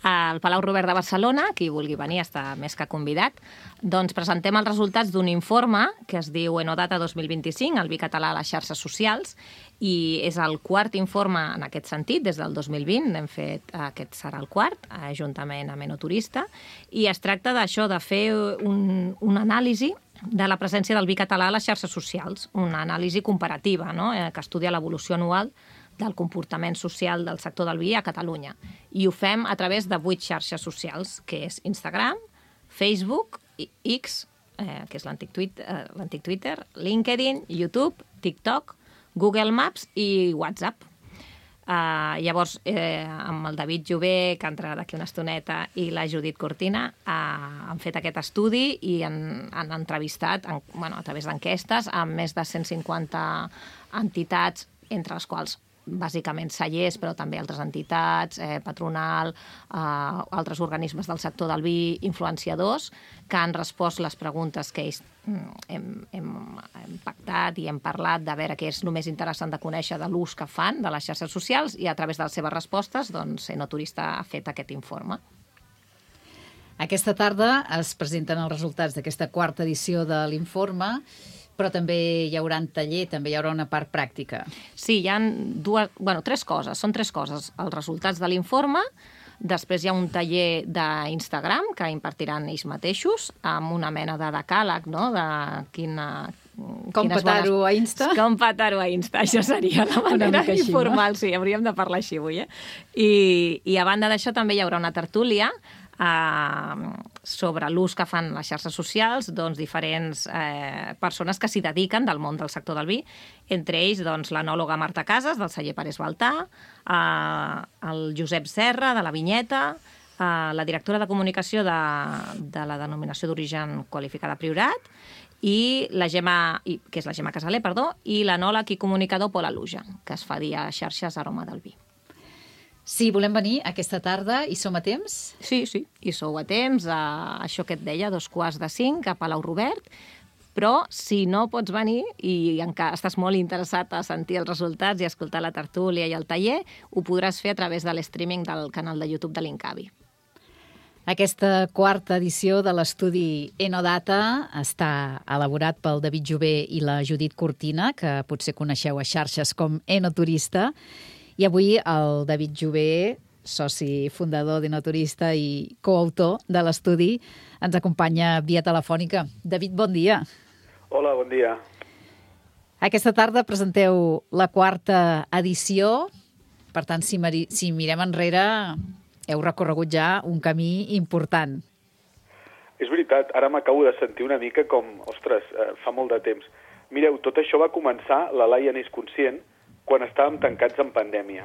al Palau Robert de Barcelona, qui vulgui venir està més que convidat, doncs presentem els resultats d'un informe que es diu Enodata dos mil vint-i-cinc, el vi català a les xarxes socials, i és el quart informe en aquest sentit, des del dos mil vint, n'hem fet, aquest serà el quart, juntament amb Enoturista, i es tracta d'això, de fer un, una anàlisi de la presència del vi català a les xarxes socials, una anàlisi comparativa, no?, que estudia l'evolució anual del comportament social del sector del vi a Catalunya. I ho fem a través de vuit xarxes socials, que és Instagram, Facebook, X, eh, que és l'antic Twitter, eh, l'antic Twitter, LinkedIn, YouTube, TikTok, Google Maps i WhatsApp. Uh, llavors, eh, amb el David Jové, que entrarà d'aquí una estoneta, i la Judit Cortina, uh, han fet aquest estudi i han, han entrevistat, en, bueno, a través d'enquestes, amb més de cent cinquanta entitats, entre les quals bàsicament cellers, però també altres entitats, eh, patronal, eh, altres organismes del sector del vi, influenciadors, que han respost les preguntes que ells hem, hem, hem pactat i hem parlat de veure què és el més interessant de conèixer de l'ús que fan de les xarxes socials, i a través de les seves respostes, doncs, Enoturista ha fet aquest informe. Aquesta tarda es presenten els resultats d'aquesta quarta edició de l'informe, però també hi haurà un taller, també hi haurà una part pràctica. Sí, hi ha dues, bueno, tres coses, són tres coses. Els resultats de l'informe, després hi ha un taller d'Instagram que impartiran ells mateixos, amb una mena de decàleg, no?, de quina... Com petar-ho a Insta? Com petar-ho a Insta, això seria la manera així, informal, no? Sí, hauríem de parlar així avui, eh? I, i a banda d'això també hi haurà una tertúlia Uh, sobre l'ús que fan les xarxes socials, doncs, diferents eh, persones que s'hi dediquen del món del sector del vi, entre ells doncs, l'enòloga Marta Casas, del celler Pérez Baltà, uh, el Josep Serra, de la Vinyeta, uh, la directora de comunicació de, de la denominació d'origen qualificada Priorat, i la Gemma, i, que és la Gemma Casaler, perdó, i l'enòleg i comunicador Pol Aluja, que es fa dir a xarxes Aroma del Vi. Sí, volem venir aquesta tarda i som a temps? Sí, sí, i sou a temps, a això que et deia, dos quarts de cinc, a Palau Robert, però si no pots venir i encara estàs molt interessat a sentir els resultats i escoltar la tertúlia i el taller, ho podràs fer a través de l'streaming del canal de YouTube de l'Incavi. Aquesta quarta edició de l'estudi Enodata està elaborat pel David Jové i la Judit Cortina, que potser coneixeu a xarxes com Enoturista, i avui el David Jové, soci fundador d'Enoturista i coautor de l'estudi, ens acompanya via telefònica. David, bon dia. Hola, bon dia. Aquesta tarda presenteu la quarta edició. Per tant, si, si mirem enrere, heu recorregut ja un camí important. És veritat, ara m'acabo de sentir una mica com, ostres, eh, fa molt de temps. Mireu, tot això va començar, la Laia n'és conscient, quan estàvem tancats en pandèmia.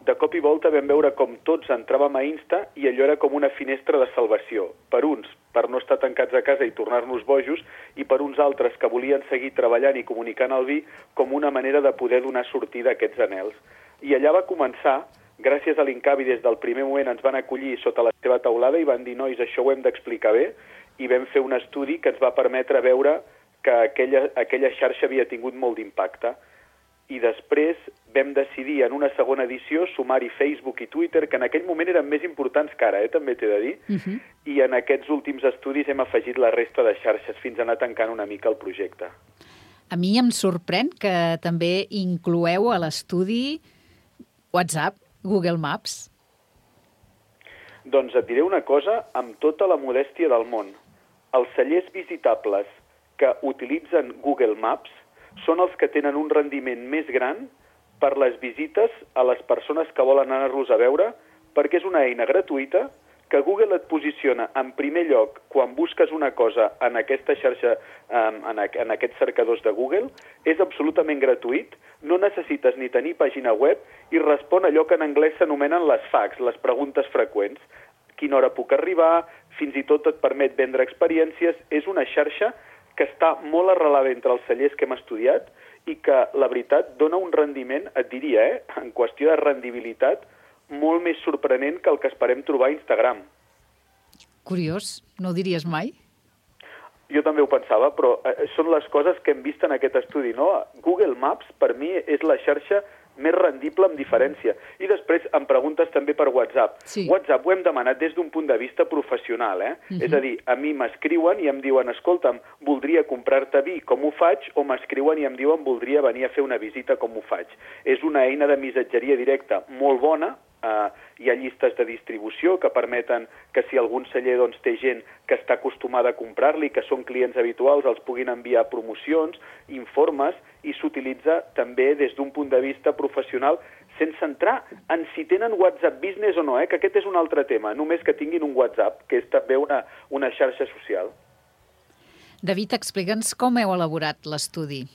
de cop i volta vam veure com tots entràvem a Insta i allò era com una finestra de salvació. Per uns, per no estar tancats a casa i tornar-nos bojos, i per uns altres que volien seguir treballant i comunicant el vi com una manera de poder donar sortida a aquests anhels. I allà va començar, gràcies a l'Incavi, des del primer moment ens van acollir sota la seva taulada i van dir, nois, això ho hem d'explicar bé, i vam fer un estudi que ens va permetre veure que aquella, aquella xarxa havia tingut molt d'impacte. I després vam decidir en una segona edició sumar-hi Facebook i Twitter, que en aquell moment eren més importants que ara, eh, també t'he de dir, uh-huh. I en aquests últims estudis hem afegit la resta de xarxes fins a anar tancant una mica el projecte. A mi em sorprèn que també incloeu a l'estudi WhatsApp, Google Maps. Doncs et diré una cosa amb tota la modèstia del món. Els cellers visitables que utilitzen Google Maps són els que tenen un rendiment més gran per les visites a les persones que volen anar-los a veure, perquè és una eina gratuïta que Google et posiciona en primer lloc quan busques una cosa en aquesta xarxa, en aquests cercadors de Google, és absolutament gratuït, no necessites ni tenir pàgina web i respon allò que en anglès s'anomenen les facts, les preguntes freqüents. Quina hora puc arribar, fins i tot et permet vendre experiències, és una xarxa que està molt arrelada entre els cellers que hem estudiat i que, la veritat, dona un rendiment, et diria, eh, en qüestió de rendibilitat, molt més sorprenent que el que esperem trobar a Instagram. Curiós, no ho diries mai? Jo també ho pensava, però eh, són les coses que hem vist en aquest estudi, no? Google Maps, per mi, és la xarxa més rendible amb diferència. I després em preguntes també per WhatsApp. Sí. WhatsApp ho hem demanat des d'un punt de vista professional, eh? Uh-huh. És a dir, a mi m'escriuen i em diuen, escolta'm, voldria comprar-te vi, com ho faig? O m'escriuen i em diuen, voldria venir a fer una visita, com ho faig? És una eina de missatgeria directa molt bona. Uh, hi ha llistes de distribució que permeten que si algun celler doncs, té gent que està acostumada a comprar-li, que són clients habituals, els puguin enviar promocions, informes, i s'utilitza també des d'un punt de vista professional, sense entrar en si tenen WhatsApp Business o no, eh? Que aquest és un altre tema, només que tinguin un WhatsApp, que és també una, una xarxa social. David, explica'ns com heu elaborat l'estudi.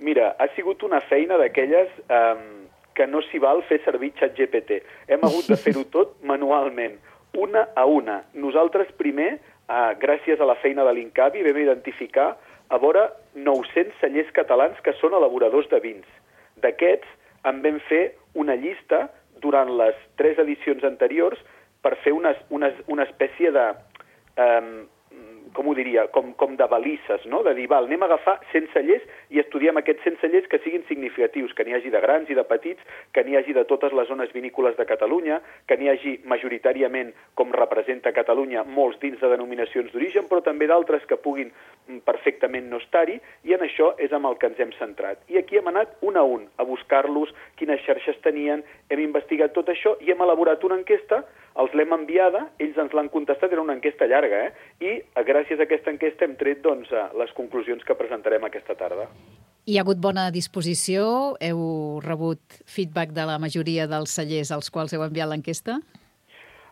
Mira, ha sigut una feina d'aquelles eh, que no s'hi val fer servir ChatGPT. Hem hagut de fer-ho tot manualment, una a una. Nosaltres primer, eh, gràcies a la feina de l'Incavi, vam identificar a vora nou-cents cellers catalans que són elaboradors de vins. D'aquests en vam fer una llista durant les tres edicions anteriors per fer una, una, una espècie de... Eh, com ho diria, com, com de balises, no? De dir, val, anem a agafar cent cellers i estudiem aquests cent cellers que siguin significatius, que n'hi hagi de grans i de petits, que n'hi hagi de totes les zones vinícoles de Catalunya, que n'hi hagi majoritàriament, com representa Catalunya, molts dins de denominacions d'origen, però també d'altres que puguin perfectament no estar-hi, i en això és amb el que ens hem centrat. I aquí hem anat un a un a buscar-los, quines xarxes tenien, hem investigat tot això i hem elaborat una enquesta, els l'hem enviada, ells ens l'han contestat, era una enquesta llarga, eh? I gràcies a aquesta enquesta hem tret doncs, les conclusions que presentarem aquesta tarda. Hi ha hagut bona disposició? Heu rebut feedback de la majoria dels cellers als quals heu enviat l'enquesta?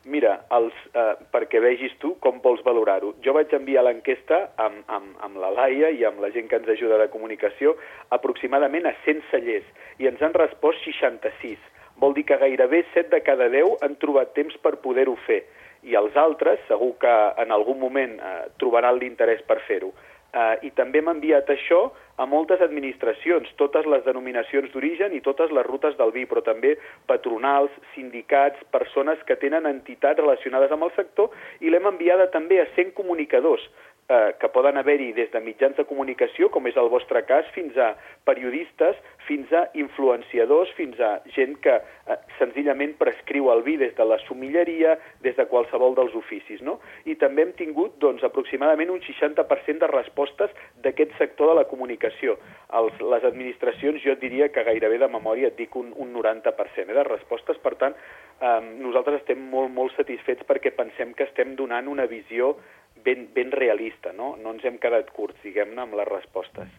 Mira, els, eh, perquè vegis tu com vols valorar-ho. Jo vaig enviar l'enquesta amb, amb, amb la Laia i amb la gent que ens ajuda de comunicació aproximadament a cent cellers i ens han respost seixanta-sis. Vol dir que gairebé set de cada deu han trobat temps per poder-ho fer. I els altres, segur que en algun moment eh, trobaran l'interès per fer-ho. Eh, I també hem enviat això a moltes administracions, totes les denominacions d'origen i totes les rutes del vi, però també patronals, sindicats, persones que tenen entitats relacionades amb el sector, i l'hem enviada també a cent comunicadors, eh, que poden haver-hi des de mitjans de comunicació, com és el vostre cas, fins a periodistes, fins a influenciadors, fins a gent que eh, senzillament prescriu el vi des de la sommelleria, des de qualsevol dels oficis, no? I també hem tingut doncs, aproximadament un seixanta per cent de respostes d'aquest sector de la comunicació. Els, les administracions, jo et diria que gairebé de memòria et dic un, un noranta per cent eh, de respostes. Per tant, eh, nosaltres estem molt, molt satisfets perquè pensem que estem donant una visió ben, ben realista, no? No ens hem quedat curts, diguem-ne, amb les respostes.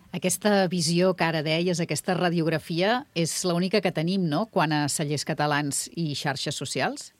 Aquesta visió que ara deies, aquesta radiografia, és l'única que tenim, no?, quant a cellers catalans i xarxes socials?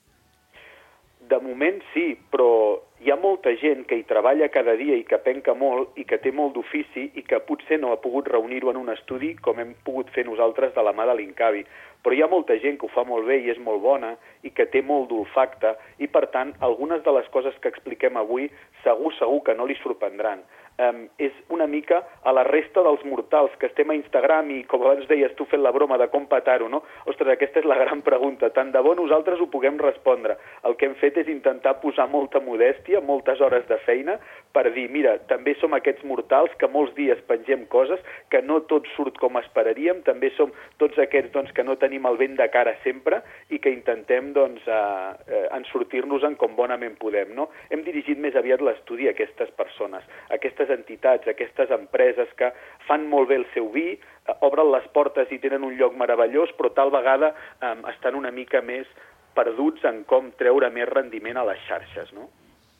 De moment sí, però hi ha molta gent que hi treballa cada dia i que penca molt i que té molt d'ofici i que potser no ha pogut reunir-ho en un estudi com hem pogut fer nosaltres de la mà de l'Incavi. Però hi ha molta gent que ho fa molt bé i és molt bona i que té molt d'olfacte i, per tant, algunes de les coses que expliquem avui segur, segur que no li sorprendran. Um, és una mica a la resta dels mortals que estem a Instagram i, com abans deies tu fent la broma de com petar-ho, no? Ostres, aquesta és la gran pregunta. Tant de bo nosaltres ho puguem respondre. El que hem fet és intentar posar molta modèstia, moltes hores de feina, per dir, mira, també som aquests mortals que molts dies pengem coses, que no tot surt com esperaríem, també som tots aquests doncs, que no tenim el vent de cara sempre i que intentem doncs, uh, uh, en sortir-nos-en com bonament podem, no? Hem dirigit més aviat l'estudi a aquestes persones, a aquestes entitats, aquestes empreses que fan molt bé el seu vi, eh, obren les portes i tenen un lloc meravellós, però tal vegada eh, estan una mica més perduts en com treure més rendiment a les xarxes, no?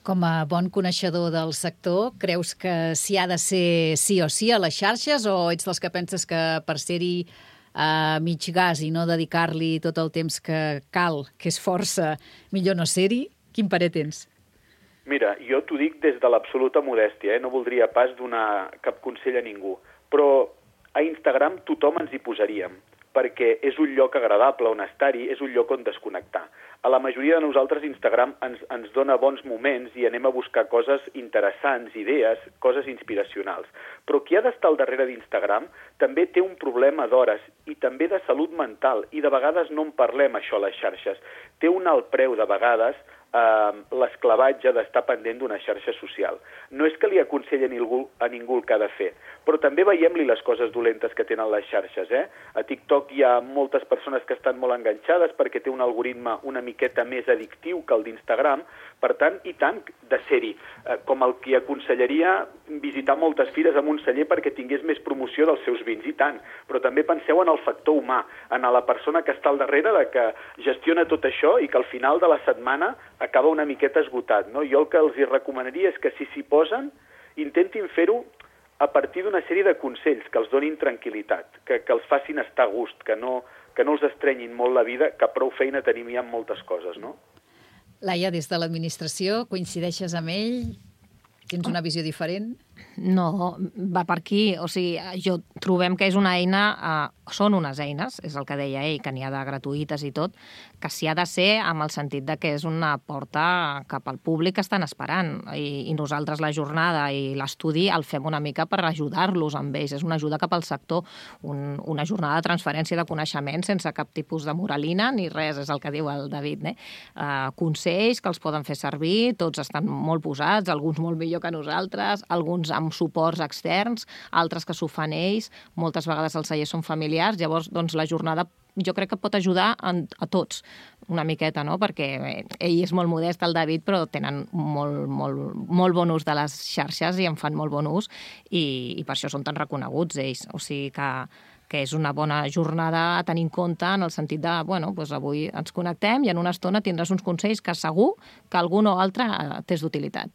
Com a bon coneixedor del sector, creus que s'hi ha de ser sí o sí a les xarxes o ets dels que penses que per ser-hi a mig gas i no dedicar-li tot el temps que cal, que és força, millor no ser-hi? Quin parer tens? Mira, jo t'ho dic des de l'absoluta modèstia, eh? No voldria pas donar cap consell a ningú, però a Instagram tothom ens hi posaríem, perquè és un lloc agradable on estar-hi, és un lloc on desconnectar. A la majoria de nosaltres Instagram ens, ens dona bons moments i anem a buscar coses interessants, idees, coses inspiracionals. Però qui ha d'estar al darrere d'Instagram també té un problema d'hores i també de salut mental i de vegades no en parlem això a les xarxes. Té un alt preu de vegades eh, l'esclavatge d'estar pendent d'una xarxa social. No és que li aconselli a ningú, a ningú el que ha de fer, però també veiem-li les coses dolentes que tenen les xarxes. Eh? A TikTok hi ha moltes persones que estan molt enganxades perquè té un algoritme una miqueta més addictiu que el d'Instagram, per tant, i tant de ser-hi. Eh, com el que aconsellaria visitar moltes fires amb un celler perquè tingués més promoció dels seus vins, i tant. Però també penseu en el factor humà, en la persona que està al darrere, de que gestiona tot això i que al final de la setmana acaba una miqueta esgotat. No? Jo el que els hi recomanaria és que si s'hi posen, intentin fer-ho a partir d'una sèrie de consells que els donin tranquil·litat, que, que els facin estar a gust, que no, que no els estrenyin molt la vida, que prou feina tenim ja en moltes coses, no? Laia, des de l'administració, coincideixes amb ell? Tens una visió diferent? No, va per aquí. O sigui, jo trobem que és una eina, eh, són unes eines, és el que deia ell, que n'hi ha de gratuïtes i tot, que s'hi ha de ser amb el sentit de que és una porta cap al públic que estan esperant. I, i nosaltres la jornada i l'estudi el fem una mica per ajudar-los amb ells. És una ajuda cap al sector, un, una jornada de transferència de coneixement sense cap tipus de moralina ni res, és el que diu el David. Eh? Uh, consells que els poden fer servir, tots estan molt posats, alguns molt millor que nosaltres, alguns amb suports externs, altres que s'ho fan ells, moltes vegades els cellers són familiars, llavors doncs, la jornada jo crec que pot ajudar a, a tots una miqueta, no? Perquè ell és molt modest, el David, però tenen molt, molt, molt bon ús de les xarxes i en fan molt bon ús i, i per això són tan reconeguts ells. O sigui que, que és una bona jornada a tenir en compte en el sentit de, bueno, doncs avui ens connectem i en una estona tindràs uns consells que segur que algun o altre t'és d'utilitat.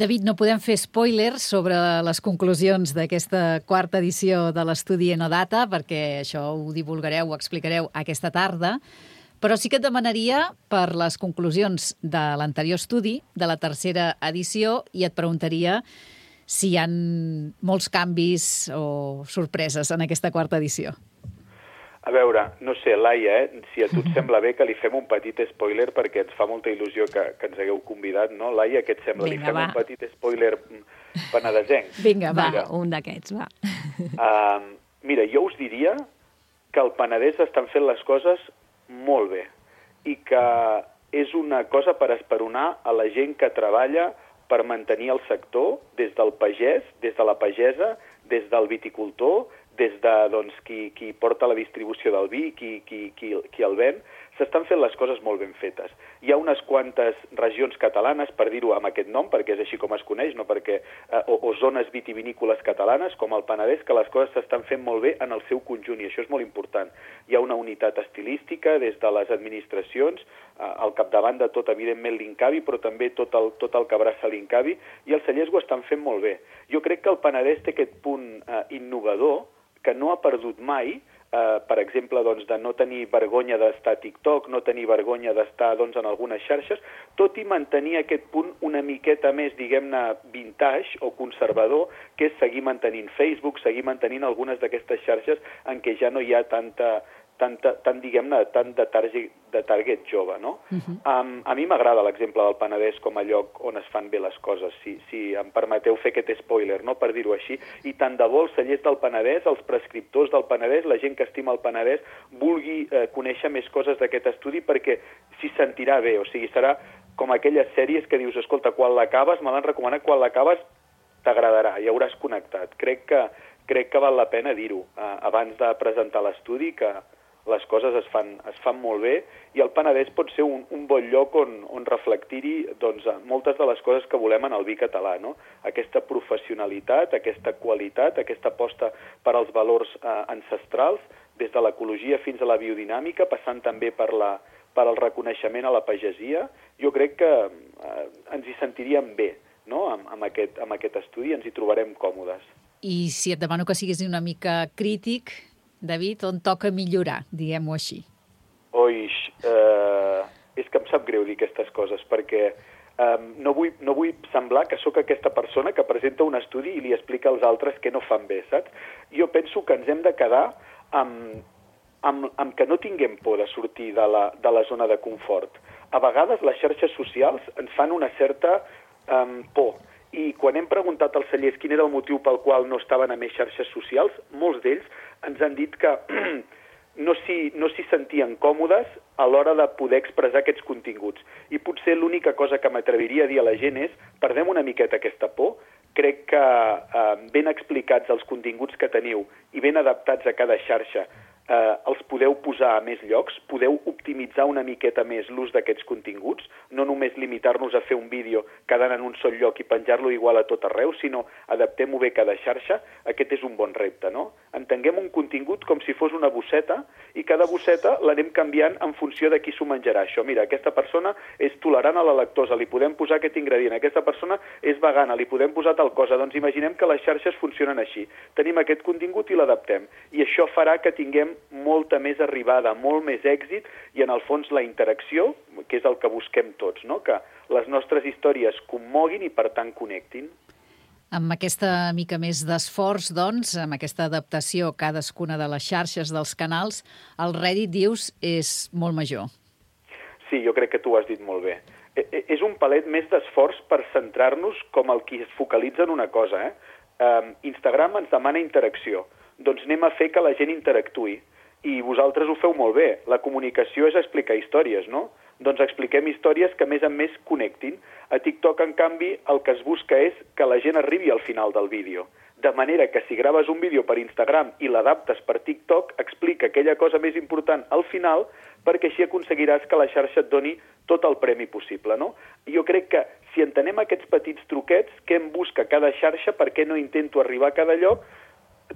David, no podem fer spoilers sobre les conclusions d'aquesta quarta edició de l'estudi Enodata, perquè això ho divulgareu, ho explicareu aquesta tarda, però sí que et demanaria per les conclusions de l'anterior estudi, de la tercera edició, i et preguntaria si hi ha molts canvis o sorpreses en aquesta quarta edició. A veure, no sé, Laia, eh? Si a tu et sembla bé que li fem un petit spoiler perquè ens fa molta il·lusió que, que ens hagueu convidat, no? Laia, què et sembla? Vinga, li fem va. Un petit spoiler penedesenc. Vinga, va, mira, un d'aquests, va. Uh, mira, jo us diria que al Penedès estan fent les coses molt bé i que és una cosa per esperonar a la gent que treballa per mantenir el sector, des del pagès, des de la pagesa, des del viticultor, des de doncs, qui, qui porta la distribució del vi, qui, qui, qui, qui el ven, s'estan fent les coses molt ben fetes. Hi ha unes quantes regions catalanes, per dir-ho amb aquest nom, perquè és així com es coneix, no? perquè, eh, o, o zones vitivinícoles catalanes, com el Penedès, que les coses s'estan fent molt bé en el seu conjunt, i això és molt important. Hi ha una unitat estilística des de les administracions, eh, al capdavant de tot, evidentment, l'Incavi, però també tot el, tot el que abraça l'Incavi, i els cellers ho estan fent molt bé. Jo crec que el Penedès té aquest punt eh, innovador, que no ha perdut mai eh, per exemple, doncs, de no tenir vergonya d'estar a TikTok, no tenir vergonya d'estar doncs, en algunes xarxes, tot i mantenir aquest punt una miqueta més, diguem-ne, vintage o conservador, que és seguir mantenint Facebook, seguir mantenint algunes d'aquestes xarxes en què ja no hi ha tanta... tant, tant diguem-ne, tant de target, de target jove, no? Uh-huh. um, a mi m'agrada l'exemple del Penedès com a lloc on es fan bé les coses, si, si em permeteu fer aquest spoiler, no?, per dir-ho així, i tant de bo els cellers del Penedès, els prescriptors del Penedès, la gent que estima el Penedès, vulgui eh, conèixer més coses d'aquest estudi perquè s'hi sentirà bé, o sigui, serà com aquelles sèries que dius, escolta, quan l'acabes, me l'han recomanat, quan l'acabes t'agradarà, ja hauràs connectat. Crec que, crec que val la pena dir-ho eh, abans de presentar l'estudi, que les coses es fan, es fan molt bé i el Penedès pot ser un, un bon lloc on, on reflectir-hi doncs, moltes de les coses que volem en el vi català, no? Aquesta professionalitat, aquesta qualitat, aquesta aposta per als valors eh, ancestrals, des de l'ecologia fins a la biodinàmica, passant també per, la, per el reconeixement a la pagesia. Jo crec que eh, ens hi sentiríem bé, no?, amb, amb, aquest, amb aquest estudi, ens hi trobarem còmodes. I si et demano que siguis una mica crític, David, on toca millorar, diguem-ho així? Oix, eh, és que em sap greu dir aquestes coses, perquè eh, no, vull, no vull semblar que sóc aquesta persona que presenta un estudi i li explica als altres què no fan bé, saps? Jo penso que ens hem de quedar amb, amb, amb que no tinguem por de sortir de la, de la zona de confort. A vegades les xarxes socials ens fan una certa eh, por, i quan hem preguntat als cellers quin era el motiu pel qual no estaven a més xarxes socials, molts d'ells ens han dit que no s'hi no s'hi sentien còmodes a l'hora de poder expressar aquests continguts. I potser l'única cosa que m'atreviria a dir a la gent és perdem una miqueta aquesta por. Crec que eh, ben explicats els continguts que teniu i ben adaptats a cada xarxa, eh, els podeu posar a més llocs, podeu optimitzar una miqueta més l'ús d'aquests continguts, no només limitar-nos a fer un vídeo quedant en un sol lloc i penjar-lo igual a tot arreu, sinó adaptem-ho bé cada xarxa. Aquest és un bon repte, no? Entenguem un contingut com si fos una bosseta i cada bosseta l'anem canviant en funció de qui s'ho menjarà. Això, mira, aquesta persona és tolerant a la lactosa, li podem posar aquest ingredient. Aquesta persona és vegana, li podem posar tal cosa. Doncs imaginem que les xarxes funcionen així. Tenim aquest contingut i l'adaptem. I això farà que tinguem molta més arribada, molt més èxit i, en el fons, la interacció, que és el que busquem tots, no? Que les nostres històries commoguin i, per tant, connectin. Amb aquesta mica més d'esforç, doncs, amb aquesta adaptació a cadascuna de les xarxes dels canals, el rèdit, dius, és molt major. Sí, jo crec que tu ho has dit molt bé. És un palet més d'esforç per centrar-nos com el qui es focalitza en una cosa. Eh? Um, Instagram ens demana interacció. Doncs anem a fer que la gent interactuï. I vosaltres ho feu molt bé. La comunicació és explicar històries, no? Doncs expliquem històries que més en més connectin. A TikTok, en canvi, el que es busca és que la gent arribi al final del vídeo. De manera que si graves un vídeo per Instagram i l'adaptes per TikTok, explica aquella cosa més important al final, perquè així aconseguiràs que la xarxa et doni tot el premi possible, no? I jo crec que si entenem aquests petits truquets, què em busca cada xarxa, per què no intento arribar a cada lloc,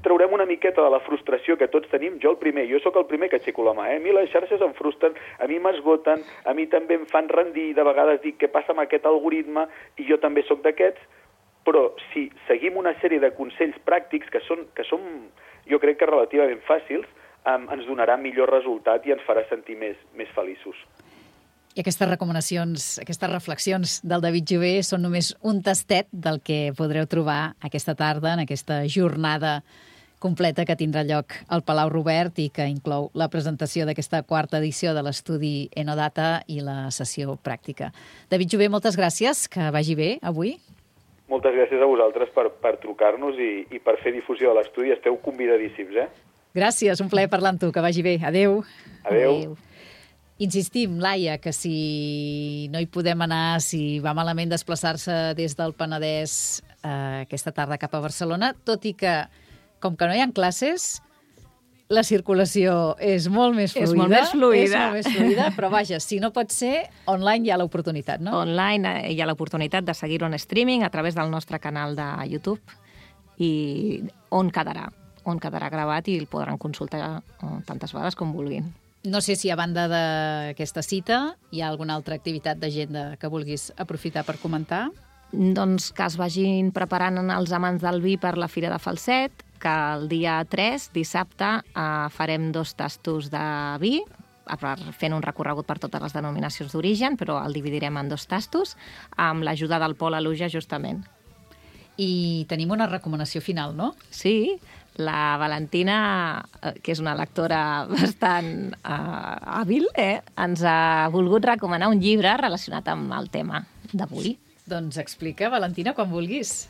traurem una miqueta de la frustració que tots tenim. Jo el primer, jo sóc el primer que aixeco la mà, eh? A mi les xarxes em frustren, a mi m'esgoten, a mi també em fan rendir, de vegades dic què passa amb aquest algoritme, i jo també sóc d'aquests, però si seguim una sèrie de consells pràctics que són, que són jo crec que relativament fàcils, eh, ens donarà millor resultat i ens farà sentir més, més feliços. I aquestes recomanacions, aquestes reflexions del David Jové són només un tastet del que podreu trobar aquesta tarda en aquesta jornada completa que tindrà lloc al Palau Robert i que inclou la presentació d'aquesta quarta edició de l'estudi Enodata i la sessió pràctica. David Jové, moltes gràcies, que vagi bé avui. Moltes gràcies a vosaltres per, per trucar-nos i, i per fer difusió de l'estudi. Esteu convidadíssims, eh? Gràcies, un plaer parlar amb tu, que vagi bé. Adéu. Adéu. Adéu. Insistim, Laia, que si no hi podem anar, si va malament desplaçar-se des del Penedès eh, aquesta tarda cap a Barcelona, tot i que, com que no hi ha classes, la circulació és molt més fluida. És molt més fluida. És molt més fluida, però vaja, si no pot ser, online hi ha l'oportunitat, no? Online hi ha l'oportunitat de seguir-ho en streaming a través del nostre canal de YouTube i on quedarà, on quedarà gravat i el podran consultar tantes vegades com vulguin. No sé si a banda d'aquesta cita hi ha alguna altra activitat d'agenda que vulguis aprofitar per comentar. Doncs que es vagin preparant els amants del vi per la Fira de Falset, que el dia tres, dissabte, eh, farem dos tastos de vi, fent un recorregut per totes les denominacions d'origen, però el dividirem en dos tastos, amb l'ajuda del Pol Aluja, justament. I tenim una recomanació final, no? Sí, la Valentina, que és una lectora bastant uh, hàbil, eh, ens ha volgut recomanar un llibre relacionat amb el tema d'avui. Doncs explica, Valentina, quan vulguis.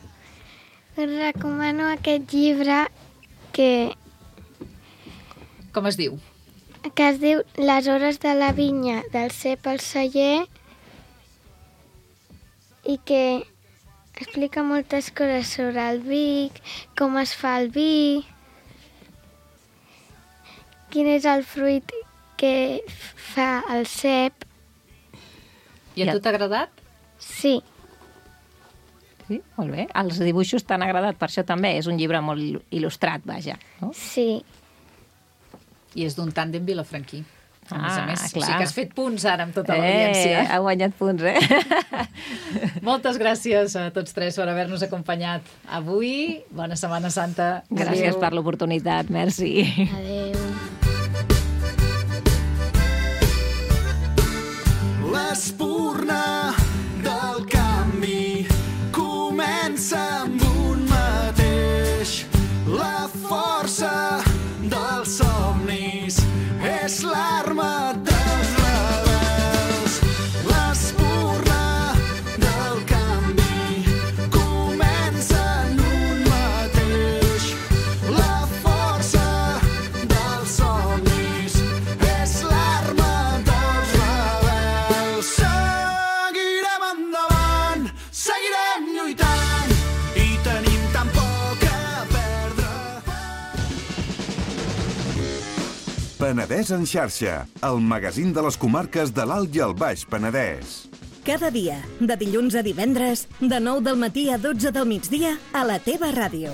Us recomano aquest llibre que... Com es diu? Que es diu Les hores de la vinya del cep al celler i que explica moltes coses sobre el vi, com es fa el vi, quin és el fruit que fa el cep. I a tu t'ha agradat? Sí. Sí, molt bé. Els dibuixos t'han agradat, per això també. És un llibre molt il·lustrat, vaja. No? Sí. I és d'un tàndem vilafranquí. A més a Ah, més, o clar. sigui que has fet punts ara amb tota Eh, l'audiència. ha guanyat punts, eh? Moltes gràcies a tots tres per haver-nos acompanyat avui. Bona Setmana Santa. Gràcies Adéu. per l'oportunitat, merci. Adéu. L'espurna del canvi comença amb un mateix. La força dels somnis és l'arma dels rebels. L'espurna del canvi comença en un mateix. La força dels somnis és l'arma dels rebels. Seguirem endavant, seguirem lluitant i tenim tan poc a perdre. Penedès en xarxa, el magazín de les comarques de l'Alt i el Baix Penedès. Cada dia, de dilluns a divendres, de nou del matí a dotze del migdia, a la teva ràdio.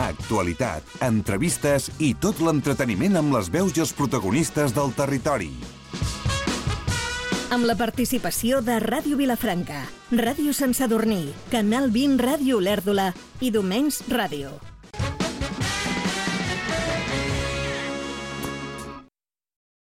Actualitat, entrevistes i tot l'entreteniment amb les veus i els protagonistes del territori. Amb la participació de Ràdio Vilafranca, Ràdio Sant Sadurní, Canal vint Ràdio Olèrdola i Domenys Ràdio.